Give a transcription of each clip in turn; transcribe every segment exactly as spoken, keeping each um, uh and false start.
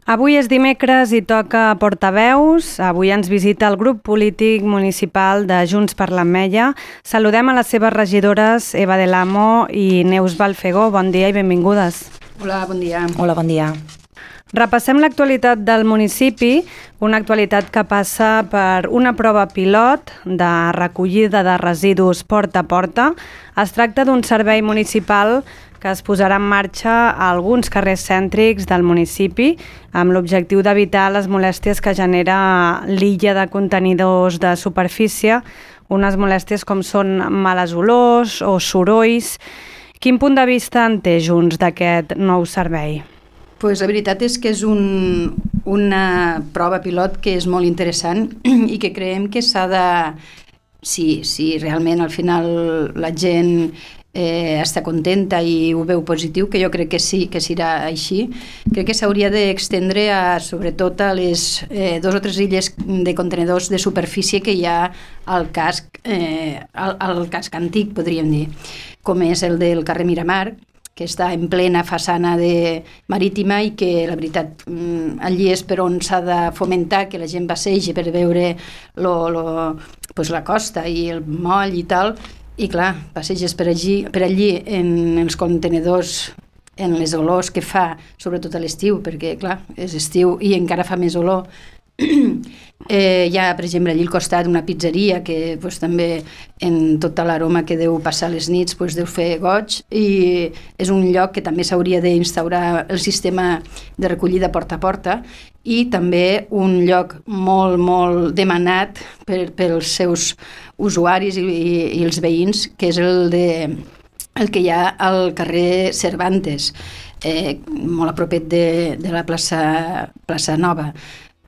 Avui és dimecres i toca Portaveus. Avui ens visita el grup polític municipal de Junts per l'Ametlla. Saludem a les seves regidores Eva del Amo i Neus Balfegó. Bon dia i benvingudes. Hola, bon dia. Hola, bon dia. Repassem l'actualitat del municipi, una actualitat que passa per una prova pilot de recollida de residus porta a porta. Es tracta d'un servei municipal que es posarà en marxa a alguns carrers cèntrics del municipi amb l'objectiu d'evitar les molèsties que genera l'illa de contenidors de superfície, unes molèsties com són males olors o sorolls. Quin punt de vista en té Junts d'aquest nou servei? Pues la veritat és que és un, una prova pilot que és molt interessant i que creiem que s'ha de... Si, si realment al final la gent eh, està contenta i ho veu positiu, que jo crec que sí, que serà així, crec que s'hauria d'extendre a, sobretot a les eh, dos o tres illes de contenidors de superfície que hi ha al casc, eh, al, al casc antic, podríem dir, com és el del carrer Miramar, que està en plena façana de marítima i que, la veritat, allí és per on s'ha de fomentar que la gent passegi per veure lo, lo, pues la costa i el moll i tal, i clar, passeges per allí, per allí en els contenidors, en les olors que fa, sobretot a l'estiu, perquè clar, és estiu i encara fa més olor. Eh, hi ha, per exemple, allí al costat una pizzeria que pues, també en tota l'aroma que deu passar les nits pues, deu fer goig, i és un lloc que també s'hauria d'instaurar el sistema de recollida porta a porta, i també un lloc molt, molt demanat per, pels seus usuaris i, i, i els veïns, que és el, de, el que hi ha al carrer Cervantes, eh, molt a propet de, de la plaça, plaça Nova.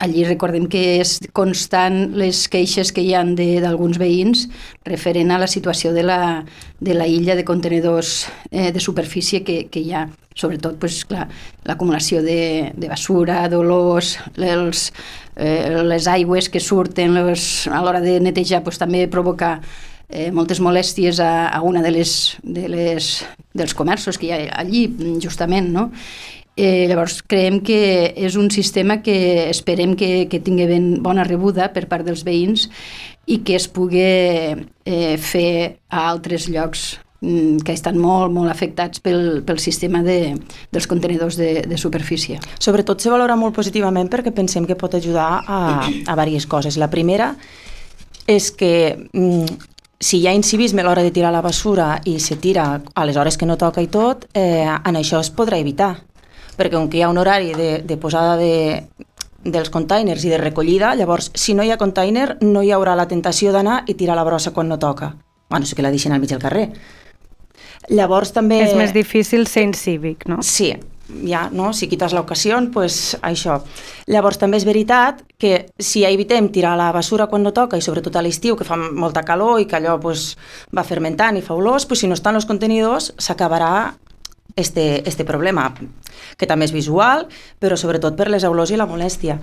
Allí recordem que és constant les queixes que hi ha d'alguns veïns referent a la situació de la, de la illa de contenidors eh, de superfície que, que hi ha. Sobretot, pues, clar, l'acumulació de, de basura, d'olors, els, eh, les aigües que surten les, a l'hora de netejar pues, també provoca eh, moltes molèsties a, a una de les, de les, dels comerços que hi ha allí, justament, no? Eh, llavors creiem que és un sistema que esperem que, que tingui ben bona rebuda per part dels veïns i que es pugui eh, fer a altres llocs mm, que estan molt, molt afectats pel, pel sistema de, dels contenidors de, de superfície. Sobretot se valora molt positivament perquè pensem que pot ajudar a, a diverses coses. La primera és que mm, si hi ha incivisme a l'hora de tirar la basura i se tira a les hores que no toca i tot, eh, en això es podrà evitar. Perquè com que hi ha un horari de, de posada de, dels containers i de recollida, llavors, si no hi ha container, no hi haurà la tentació d'anar i tirar la brossa quan no toca. Bueno, sí que la deixen al mig del carrer. Llavors també... És més difícil ser incívic, no? Sí, ja, no? Si quites l'ocasió, pues això. Llavors també és veritat que si evitem tirar la basura quan no toca, i sobretot a l'estiu, que fa molta calor i que allò pues, va fermentant i fa olors, pues, si no estan els contenidors, s'acabarà Este, este problema, que també és visual, però sobretot per les olors i la molèstia.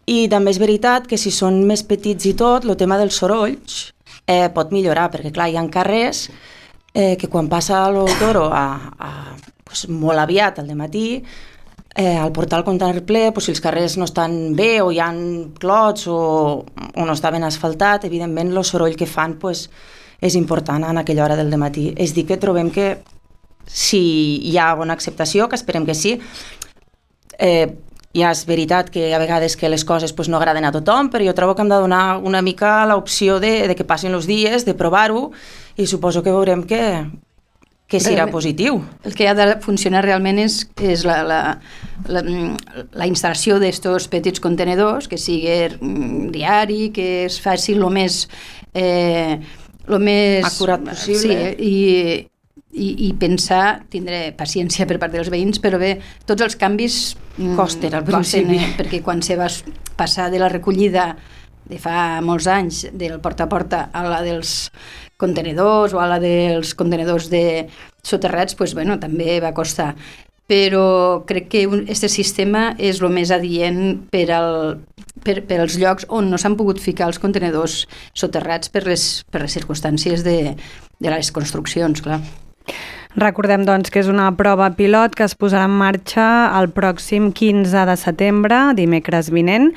I també és veritat que si són més petits i tot, el tema dels sorolls eh, pot millorar, perquè clar, hi ha carrers eh, que quan passa el toro a, a, pues, molt aviat al dematí, eh, al portar el contenidor ple, pues, si els carrers no estan bé o hi ha clots o, o no està ben asfaltat, evidentment el soroll que fan pues, és important en aquella hora del dematí. És dir, que trobem que si hi ha bona acceptació, que esperem que sí, eh, ja és veritat que a vegades que les coses pues, no agraden a tothom, però jo trobo que hem de donar una mica l'opció de, de que passin els dies, de provar-ho, i suposo que veurem que, que serà positiu. El que ha de funcionar realment és, és la, la, la, la instal·lació d'estos petits contenedors, que sigui diari, que es faci el més, eh, lo més acurat possible. Sí, i I, i pensar, tindré paciència per part dels veïns, però bé, tots els canvis costen al principi, costen, eh? Perquè quan se va passar de la recollida de fa molts anys del porta a porta a la dels contenidors o a la dels contenidors de soterrats, pues, bueno, també va costar. Però crec que aquest sistema és el més adient per, al, per, per als llocs on no s'han pogut ficar els contenidors soterrats per les, per les circumstàncies de, de les construccions, clar. Recordem, doncs, que és una prova pilot que es posarà en marxa el pròxim quinze de setembre, dimecres vinent.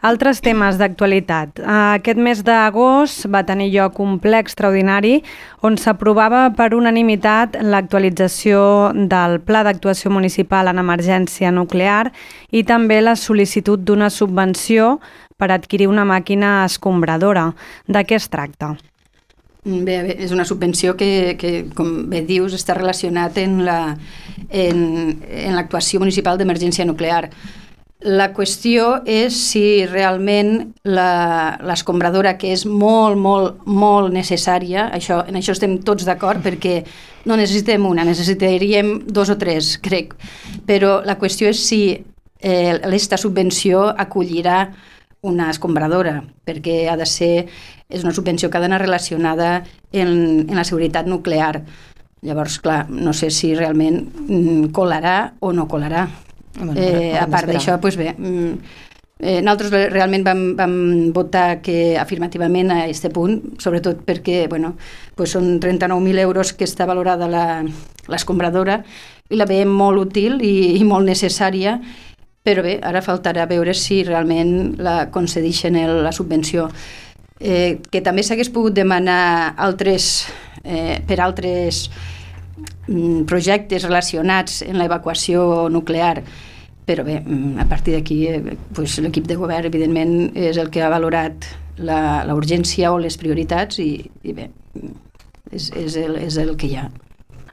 Altres temes d'actualitat. Aquest mes d'agost va tenir lloc un ple extraordinari on s'aprovava per unanimitat l'actualització del Pla d'Actuació Municipal en Emergència Nuclear i també la sol·licitud d'una subvenció per adquirir una màquina escombradora. De què es tracta? Bé, bé, és una subvenció que, que, com bé dius, està relacionat en la, en, en l'actuació municipal d'emergència nuclear. La qüestió és si realment l'escombradora, que és molt, molt, molt necessària, això, en això estem tots d'acord, perquè no necessitem una, necessitaríem dos o tres, crec. Però la qüestió és si eh, aquesta subvenció acollirà una escombradora, perquè ha de ser, és una subvenció que ha d'anar relacionada en, en la seguretat nuclear. Llavors, clar, no sé si realment mm, colarà o no colarà. Bueno, eh, a part d'això, doncs bé, eh, nosaltres realment vam, vam votar que afirmativament a aquest punt, sobretot perquè bueno, doncs són trenta-nou mil euros que està valorada l'escombradora i la veiem molt útil i, i molt necessària, però bé, ara faltarà veure si realment la concedeixen el, la subvenció. Eh, que també s'hagués pogut demanar altres, eh, per altres projectes relacionats en l'evacuació nuclear, però bé, a partir d'aquí eh, pues, l'equip de govern evidentment és el que ha valorat la, la urgència o les prioritats i, i bé, és, és, el, és el que hi ha.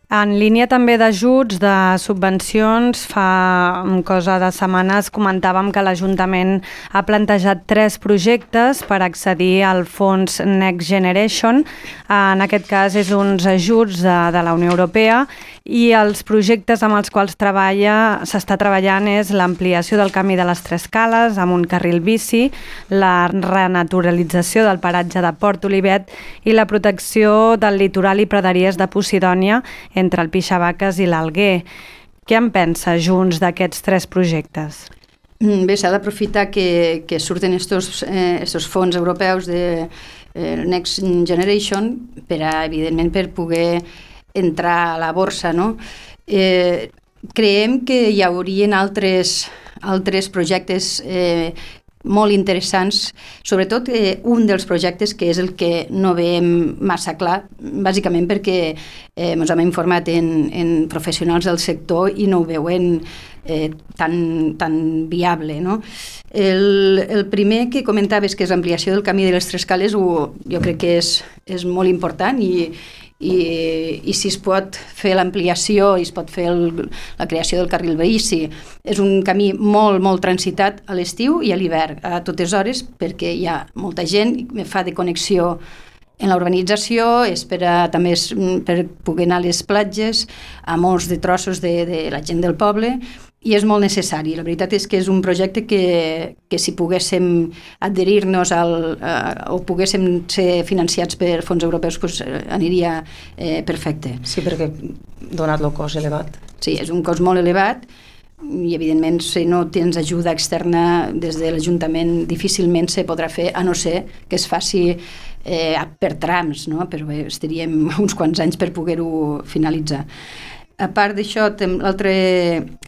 En línia també d'ajuts, de subvencions, fa cosa de setmanes comentàvem que l'Ajuntament ha plantejat tres projectes per accedir al fons Next Generation. En aquest cas és uns ajuts de, de la Unió Europea i els projectes amb els quals treballa, s'està treballant és l'ampliació del camí de les Tres Cales amb un carril bici, la renaturalització del paratge de Port Olivet i la protecció del litoral i praderies de Posidònia entre el Pixavaques i l'Alguer. Què en pensa Junts d'aquests tres projectes? Bé, s'ha d'aprofitar que, que surten estos, eh, estos fons europeus de eh, Next Generation per a, evidentment, per poder entrar a la borsa, no? Eh, creiem que hi haurien altres, altres projectes eh, molt interessants, sobretot eh, un dels projectes que és el que no veiem massa clar, bàsicament perquè eh, ens hem informat en, en professionals del sector i no ho veuen eh, tan, tan viable, no? El, el primer que comentaves, que és l'ampliació del camí de les Tres Cales, ho, jo crec que és, és molt important i I, i si es pot fer l'ampliació i es pot fer el, la creació del carril bici. És un camí molt, molt transitat a l'estiu i a l'hivern, a totes hores, perquè hi ha molta gent, fa de connexió en la urbanització, és per a, també és per poder anar a les platges, a molts de trossos de, de la gent del poble, i és molt necessari. La veritat és que és un projecte que, que si poguéssim adherir-nos al, uh, o poguéssim ser financiats per fons europeus, pues, aniria eh, perfecte. Sí, perquè donat el cost elevat. Sí, és un cost molt elevat i evidentment si no tens ajuda externa des de l'Ajuntament difícilment se podrà fer, a no ser que es faci eh, per trams, no? Però bé, estaríem uns quants anys per poder-ho finalitzar. A part d'això, l'altre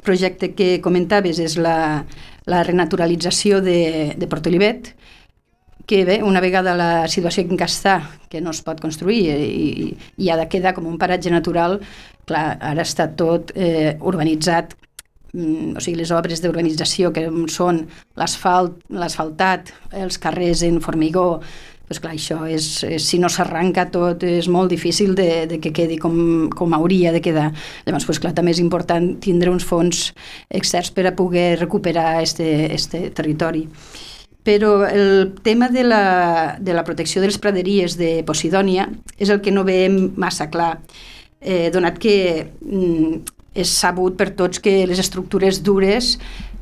projecte que comentaves és la, la renaturalització de, de Port Olivet, que bé, una vegada la situació en què està, que no es pot construir i, i ha de quedar com un paratge natural, clar, ara està tot eh, urbanitzat, o sigui, les obres d'urbanització que són l'asfalt, l'asfaltat, els carrers en formigó, doncs clar, això és, és, si no s'arranca tot és molt difícil de, de que quedi com, com hauria de quedar. Llavors, doncs clar, també és important tindre uns fons externs per a poder recuperar este, este territori. Però el tema de la, de la protecció de les praderies de Posidònia és el que no veiem massa clar, eh, donat que mm, és sabut per tots que les estructures dures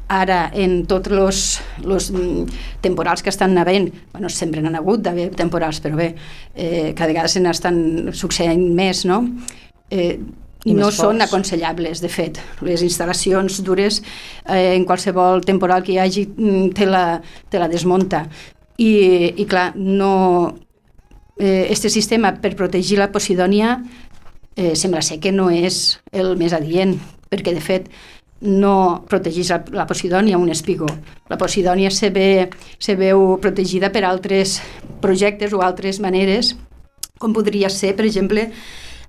ara, en tots els, els temporals que estan havent, bueno, sempre n'han hagut d'haver temporals, però bé, eh, cada vegada se n'estan succeint més, no? Eh, no són aconsellables, de fet. Les instal·lacions dures, eh, en qualsevol temporal que hi hagi, te la, te la desmunta. I, i clar, no... Eh, este sistema per protegir la Posidònia eh, sembla ser que no és el més adient, perquè de fet no protegeix la, la Posidònia un espigó. La Posidònia se, ve, se veu protegida per altres projectes o altres maneres, com podria ser, per exemple,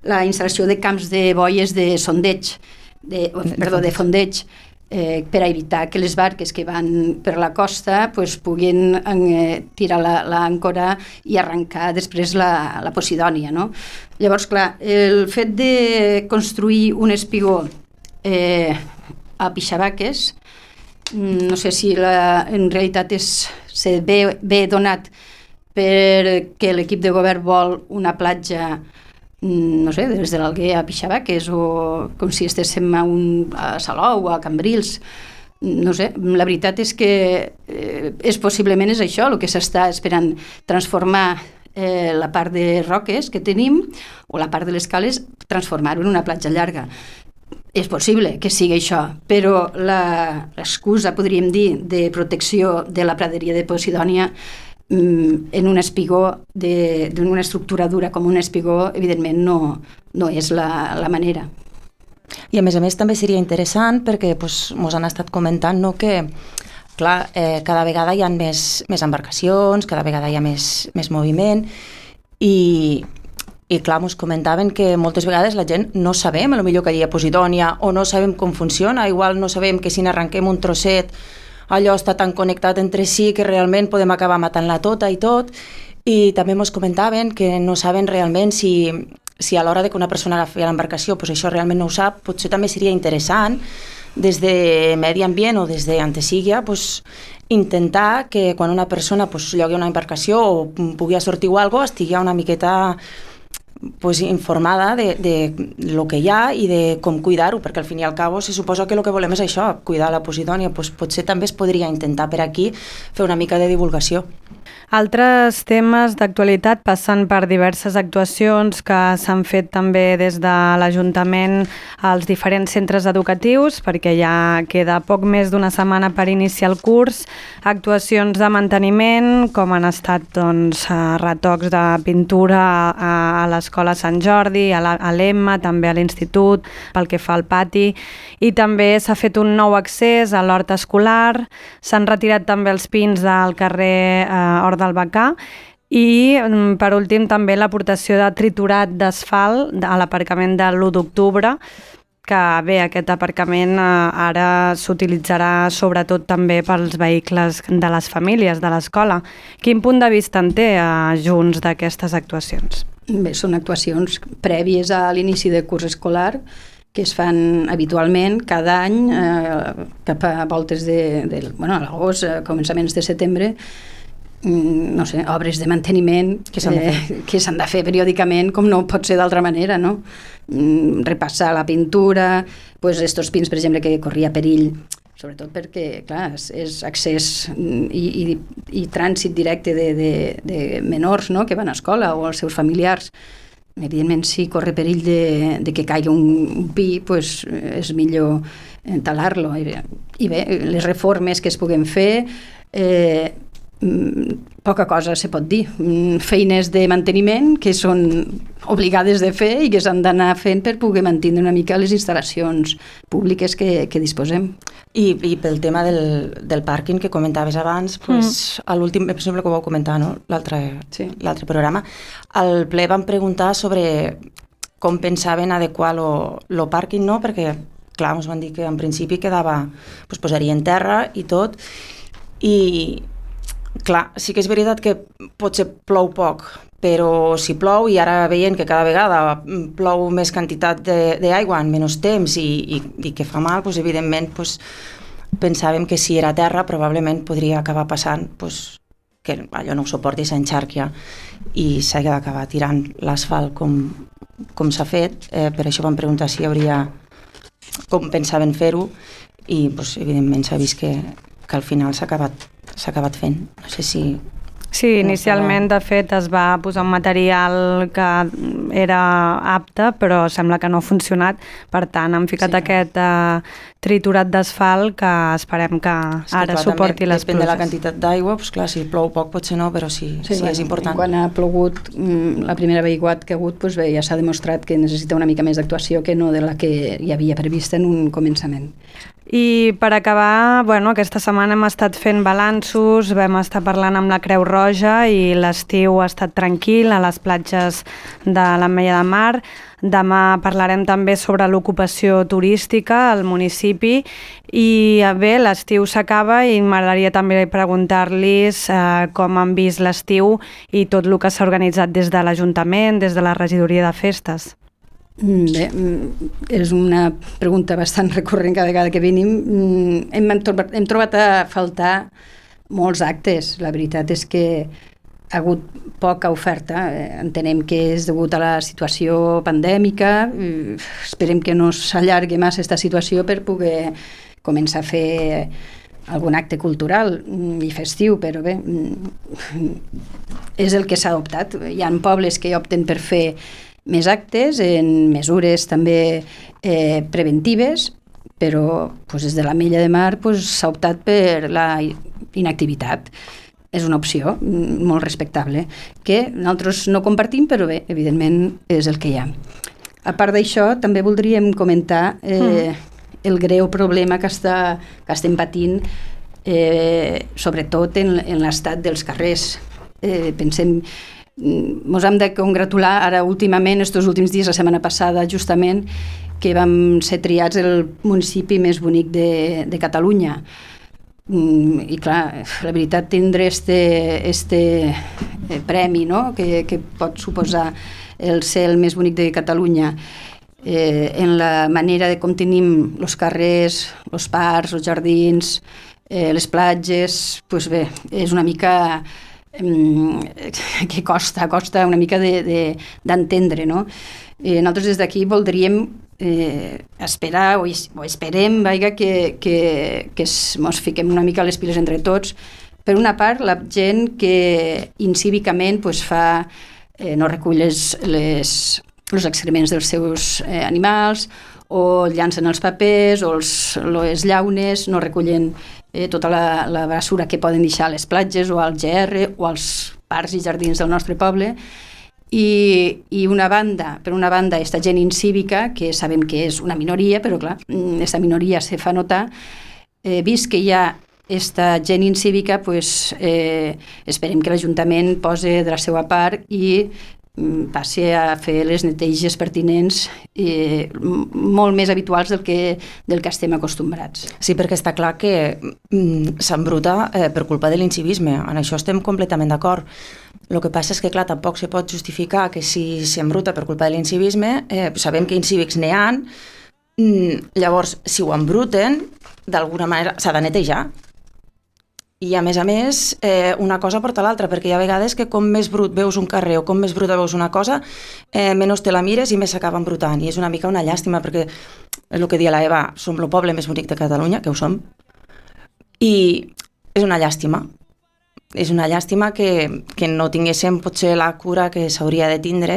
la instal·lació de camps de boies de sondeig, de, perdó, de fondeig, eh, per a evitar que les barques que van per la costa pues, puguin eh, tirar l'àncora i arrencar després la, la Posidònia. No? Llavors, clar, el fet de construir un espigó eh, a Pixabaques, no sé si la, en realitat és, se ve, ve donat perquè l'equip de govern vol una platja, no sé, des de l'Alguer a Pixabaques o com si estéssim a, un, a Salou o a Cambrils. No sé, la veritat és que eh, és possiblement és això el que s'està esperant, transformar eh, la part de roques que tenim o la part de les cales, transformar-ho en una platja llarga. És possible que sigui això, però l'excusa, podríem dir, de protecció de la praderia de Posidònia en un espigó, d'una estructura dura com un espigó, evidentment no, no és la, la manera. I a més a més també seria interessant perquè pues, mos han estat comentant no, que clar, eh, cada vegada hi ha més, més embarcacions, cada vegada hi ha més, més moviment i, i clar, mos comentaven que moltes vegades la gent no sabem a lo millor que hi ha Posidònia o no sabem com funciona, igual no sabem que si n'arrenquem un trosset allò està tan connectat entre si que realment podem acabar matant-la tota i tot. I també ens comentaven que no saben realment si, si a l'hora de que una persona agafi l'embarcació pues això realment no ho sap. Potser també seria interessant des de Medi Ambient o des d'Antesíguia pues, intentar que quan una persona pues, llogui una embarcació o pugui sortir o alguna cosa estigui una miqueta pues, informada de, de lo que hi ha i de com cuidar-ho, perquè al fin i al cabo se suposa que el que volem és això, cuidar la Posidònia, pues, potser també es podria intentar per aquí fer una mica de divulgació. Altres temes d'actualitat passen per diverses actuacions que s'han fet també des de l'Ajuntament als diferents centres educatius, perquè ja queda poc més d'una setmana per iniciar el curs. Actuacions de manteniment, com han estat doncs, retocs de pintura a, a l'escola Sant Jordi, a l'Emma, també a l'institut, pel que fa al pati, i també s'ha fet un nou accés a l'hort escolar, s'han retirat també els pins del carrer eh, Hort del Bacà i, per últim, també l'aportació de triturat d'asfalt a l'aparcament de l'u d'octubre, que bé, aquest aparcament eh, ara s'utilitzarà sobretot també pels vehicles de les famílies de l'escola. Quin punt de vista en té eh, Junts d'aquestes actuacions? Bé, són actuacions prèvies a l'inici del curs escolar que es fan habitualment cada any eh, cap a voltes de, de bueno, a l'agost, a començaments de setembre, no sé, obres de manteniment que s'han de, eh, que s'han de fer periòdicament, com no pot ser d'altra manera, no? Repassar la pintura, pues estos pins, per exemple, que corria perill, sobretot perquè, clar, és accés i, i, i trànsit directe de, de, de menors, no?, que van a escola o els seus familiars. Evidentment, si corre perill de, de que caigui un, un pi, pues, és millor talar-lo. I bé, les reformes que es puguen fer, eh, poca cosa se pot dir. Feines de manteniment que són obligades de fer i que s'han d'anar fent per poder mantenir una mica les instal·lacions públiques que, que disposem. I, i pel tema del, del pàrquing que comentaves abans, pues, mm. a l'últim, per exemple, que ho vau comentar, no? l'altre sí. l'altre programa, al ple vam preguntar sobre com pensaven adequar el pàrquing, no? Perquè, clar, ens van dir que en principi quedava, pues, posaria en terra i tot, i clar, sí que és veritat que potser plou poc, però si plou, i ara veient que cada vegada plou més quantitat d'aigua en menys temps i, i, i que fa mal, doncs, evidentment doncs, pensàvem que si era terra probablement podria acabar passant doncs, que allò no ho suporti, s'enxarquia i s'ha d'acabar tirant l'asfalt com, com s'ha fet. Eh, per això vam preguntar si hi hauria com pensaven fer-ho i doncs, evidentment s'ha vist que, que al final s'ha acabat s'ha acabat fent. No sé si... Sí, inicialment, de fet, es va posar un material que era apte, però sembla que no ha funcionat. Per tant, han ficat sí. aquest uh, triturat d'asfalt que esperem que és que, ara clar, suporti les depèn pluges. de la quantitat d'aigua, doncs, clar, si plou poc potser no, però sí, sí, sí bueno, és important. Quan ha plogut la primera vegada que ha hagut, doncs bé, ja s'ha demostrat que necessita una mica més d'actuació que no de la que hi havia prevista en un començament. I per acabar, bueno, aquesta setmana hem estat fent balanços, vam estar parlant amb la Creu Roja i l'estiu ha estat tranquil a les platges de l'Ametlla de Mar. Demà parlarem també sobre l'ocupació turística al municipi i bé, l'estiu s'acaba i m'agradaria també preguntar-los eh, com han vist l'estiu i tot el que s'ha organitzat des de l'Ajuntament, des de la regidoria de festes. Bé, és una pregunta bastant recurrent cada vegada que venim. Hem, hem trobat a faltar molts actes. La veritat és que ha hagut poca oferta. Entenem que és degut a la situació pandèmica. Esperem que no s'allargui massa aquesta situació per poder començar a fer algun acte cultural i festiu, però bé, és el que s'ha optat. Hi ha pobles que opten per fer més actes, en mesures també eh, preventives, però pues, des de l'Ametlla de Mar pues, s'ha optat per la inactivitat. És una opció molt respectable, que nosaltres no compartim, però bé, evidentment és el que hi ha. A part d'això, també voldríem comentar eh, mm. el greu problema que, està, que estem patint, eh, sobretot en, en l'estat dels carrers. Eh, pensem Ens hem de congratular ara últimament, estos últims dies, la setmana passada justament, que vam ser triats el municipi més bonic de, de Catalunya. I clar, la veritat, tindre este, este premi, no?, que, que pot suposar el ser el més bonic de Catalunya, eh, en la manera de com tenim els carrers, els parcs, els jardins, eh, les platges, doncs bé, és una mica que costa, costa una mica d'entendre, de, de, no? Eh, nosaltres des d'aquí voldríem eh, esperar o, o esperem vaiga, que, que, que ens fiquem una mica les piles entre tots. Per una part, la gent que incívicament pues, fa, eh, no recull les, les, els excrements dels seus eh, animals, o llancen els papers, o els, les llaunes, no recullen Eh, tota la, la basura que poden deixar a les platges o al G R o als parcs i jardins del nostre poble. I, i una banda, per una banda, aquesta gent incívica, que sabem que és una minoria, però clar, aquesta minoria se fa notar, eh, vist que hi ha aquesta gent incívica, pues, eh, esperem que l'Ajuntament posi de la seva part i passi a fer les neteges pertinents eh, molt més habituals del que, del que estem acostumbrats. Sí, perquè està clar que mm, s'embruta eh, per culpa de l'incivisme. En això estem completament d'acord. El que passa és que, clar, tampoc se pot justificar que si s'embruta per culpa de l'incivisme, eh, sabem que incívics n'hi ha, mm, llavors, si ho embruten, d'alguna manera s'ha de netejar. I, a més a més, eh, una cosa porta l'altra, perquè hi ha vegades que com més brut veus un carrer o com més bruta veus una cosa, eh, menys te la mires i més s'acaba embrutant. I és una mica una llàstima, perquè és el que dia la Eva, som el poble més bonic de Catalunya, que ho som, i és una llàstima. És una llàstima que, que no tinguéssim potser la cura que s'hauria de tindre,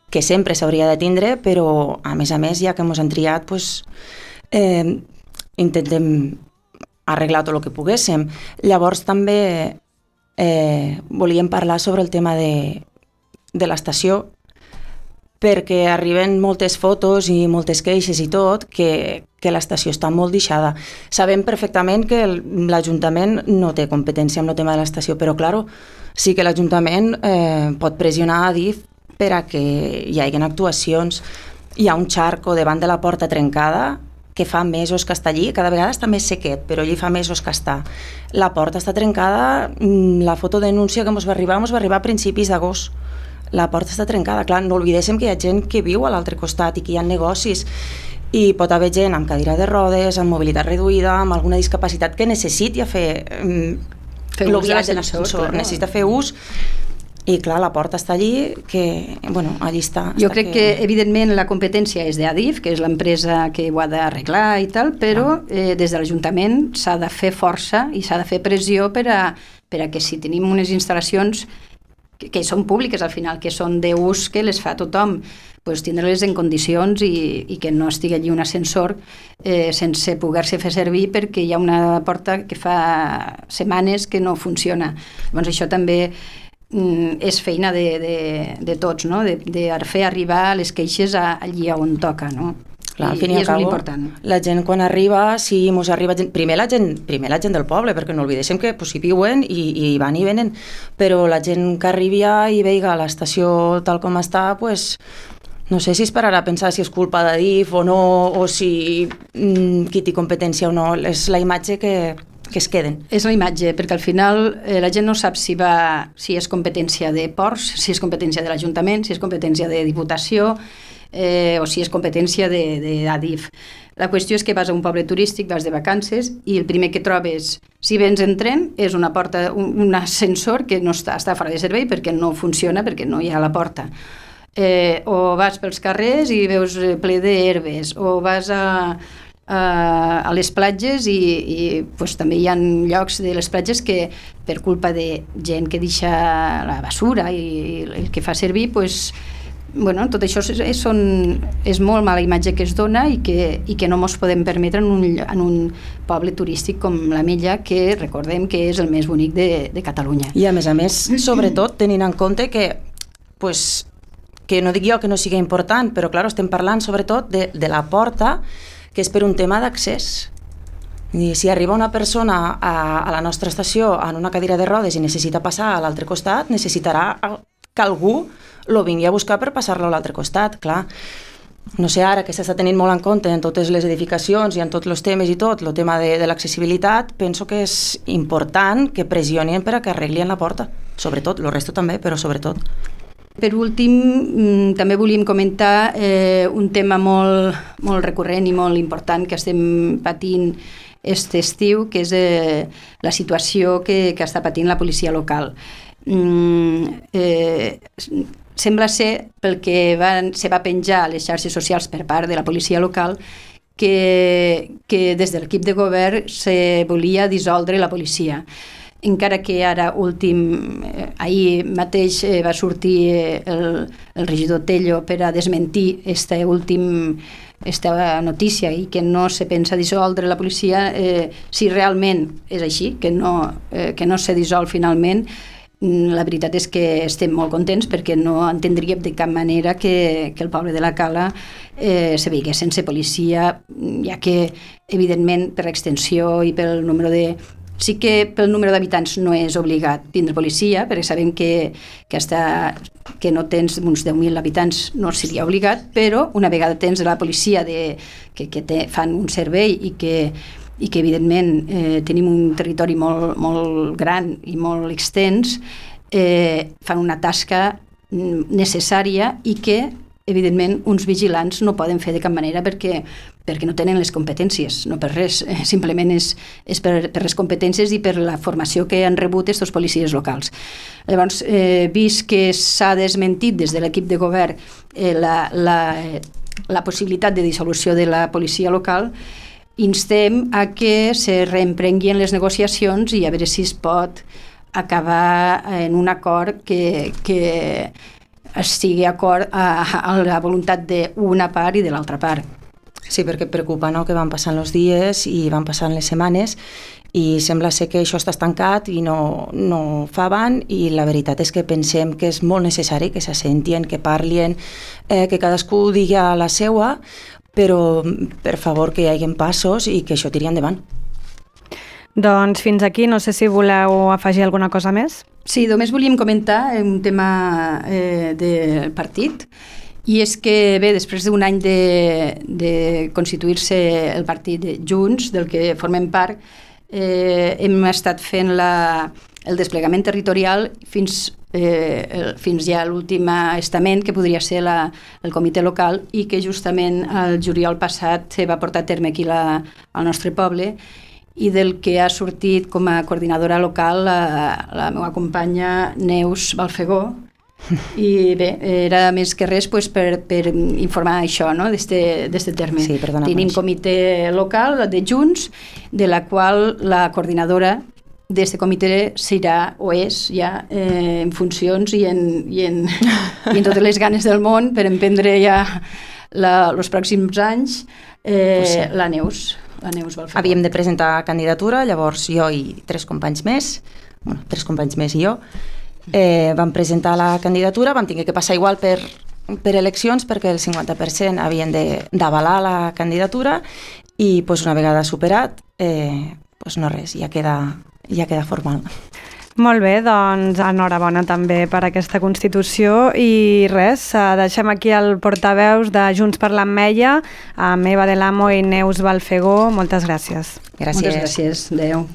que sempre s'hauria de tindre, però, a més a més, ja que ens han triat, pues, eh, intentem arreglar tot el que poguéssim. Llavors també eh, volíem parlar sobre el tema de, de l'estació, perquè arriben moltes fotos i moltes queixes i tot, que, que l'estació està molt deixada. Sabem perfectament que l'Ajuntament no té competència amb el tema de l'estació, però, clar, sí que l'Ajuntament eh, pot pressionar a D I F per a que hi hagi actuacions. Hi ha un xarco davant de la porta trencada, que fa mesos que està allí, cada vegada està més sequet, però allí fa mesos que està. La porta està trencada, la fotodenúncia que ens va arribar, ens va arribar a principis d'agost. La porta està trencada, clar, no oblidéssim que hi ha gent que viu a l'altre costat i que hi ha negocis, i pot haver gent amb cadira de rodes, amb mobilitat reduïda, amb alguna discapacitat que necessiti fer, fer el viatge en ascensor, necessita fer ús. I clar, la porta està allí, que, bueno, allí està. Jo crec que... que, evidentment, la competència és d'A D I F, que és l'empresa que ho ha d'arreglar i tal, però eh, des de l'Ajuntament s'ha de fer força i s'ha de fer pressió per a, per a que si tenim unes instal·lacions que, que són públiques al final, que són d'ús que les fa tothom, pues, tindre-les en condicions i, i que no estigui allí un ascensor eh, sense poder-se fer servir perquè hi ha una porta que fa setmanes que no funciona. Llavors això també mm, és feina de, de, de tots, no? de, de fer arribar les queixes a, allí on toca, no? Clar, al I, fin i i és al molt cabo, important. la gent quan arriba, sí, mos arriba gent, primer la gent, primer la gent del poble, perquè no oblidéssim que pues, hi viuen i, i van i venen, però la gent que arriba i veiga l'estació tal com està, pues, no sé si es pararà a pensar si és culpa de D I F o no, o si mm, qui té competència o no, és la imatge que, que es queden. És la imatge, perquè al final eh, la gent no sap si, va, si és competència de Ports, si és competència de l'Ajuntament, si és competència de Diputació, Eh, o si és competència de, de Adif. La qüestió és que vas a un poble turístic, vas de vacances i el primer que trobes, si vens en tren, és una porta, un, un ascensor que no està, està fora de servei perquè no funciona, perquè no hi ha la porta. Eh, o vas pels carrers i veus ple d'herbes, o vas a, a, a les platges i, i pues, també hi ha llocs de les platges que per culpa de gent que deixa la basura i, i el que fa servir, pues, bueno, tot això és, és, són, és molt mala imatge que es dona i que, i que no ens podem permetre en un, en un poble turístic com l'Ametlla, que recordem que és el més bonic de, de Catalunya. I a més a més, sobretot tenint en compte que, pues, que no dic jo que no sigui important, però clar, estem parlant sobretot de, de la porta, que és per un tema d'accés. I si arriba una persona a, a la nostra estació en una cadira de rodes i necessita passar a l'altre costat, necessitarà que algú lo vingui a buscar per passar-lo a l'altre costat, clar. No sé, ara que s'està tenint molt en compte en totes les edificacions i en tots els temes i tot, el tema de, de l'accessibilitat, penso que és important que pressionin per a que arreglin la porta. Sobretot, el resto també, però sobretot. Per últim, també volíem comentar eh, un tema molt, molt recurrent i molt important que estem patint aquest estiu, que és eh, la situació que, que està patint la policia local. Mm, eh, sembla ser, pel que van, se va penjar a les xarxes socials per part de la policia local, que, que des de l'equip de govern se volia dissoldre la policia. Encara que ara últim, eh, ahir mateix eh, va sortir eh, el, el regidor Tello per a desmentir este últim, esta notícia i que no se pensa dissoldre la policia, eh, si realment és així, que no, eh, que no se dissol finalment. La veritat és que estem molt contents perquè no entendríem de cap manera que, que el poble de la Cala eh, se veigués sense policia, ja que evidentment per l'extensió i pel número de... Sí que pel número d'habitants no és obligat tindre policia, perquè sabem que, que, hasta, que no tens uns deu mil habitants no seria obligat, però una vegada tens la policia de, que, que te, fan un servei i que i que evidentment eh, tenim un territori molt, molt gran i molt extens, eh, fan una tasca necessària i que evidentment uns vigilants no poden fer de cap manera perquè, perquè no tenen les competències, no per res, eh, simplement és, és per, per les competències i per la formació que han rebut aquests policies locals. Llavors, eh, vist que s'ha desmentit des de l'equip de govern eh, la, la, la possibilitat de dissolució de la policia local, instem a que se reemprenguin les negociacions i a veure si es pot acabar en un acord que, que estigui acord a, a la voluntat d'una part i de l'altra part. Sí, perquè preocupa, no?, que van passant els dies i van passant les setmanes i sembla ser que això està estancat i no, no fa avant, i la veritat és que pensem que és molt necessari que s'assentien, que parlin, eh, que cadascú digui la seua, però per favor que hi hagi passos i que això tiri endavant. Doncs fins aquí, no sé si voleu afegir alguna cosa més. Sí, només volíem comentar un tema eh, del partit, i és que, bé, després d'un any de, de constituir-se el partit de Junts, del que formem part, eh, hem estat fent la, el desplegament territorial fins Eh, el, fins ja l'últim estament, que podria ser la, el comitè local, i que justament el juliol passat se va portar a terme aquí la, al nostre poble, i del que ha sortit com a coordinadora local la, la meva companya Neus Balfegó. I bé, era més que res pues, per, per informar això, no?, d'este terme. Sí, perdona, tenim comitè local de Junts, de la qual la coordinadora d'este comitè serà o és ja eh, en funcions i en, i, en, i en totes les ganes del món per emprendre ja els pròxims anys eh, pues sí. la Neus. La Neus Balfegó. Havíem de presentar candidatura, llavors jo i tres companys més, bueno, tres companys més i jo, eh, vam presentar la candidatura, vam tenir que passar igual per, per eleccions perquè el cinquanta per cent havien d'avalar la candidatura i pues, una vegada superat, eh, pues no res, ja queda, ja queda formal. Molt bé, doncs enhorabona també per aquesta Constitució i res, deixem aquí el portaveus de Junts per l'Ametlla, amb Eva Del Amo i Neus Balfegó. Moltes gràcies. Gràcies. Moltes gràcies. Adéu.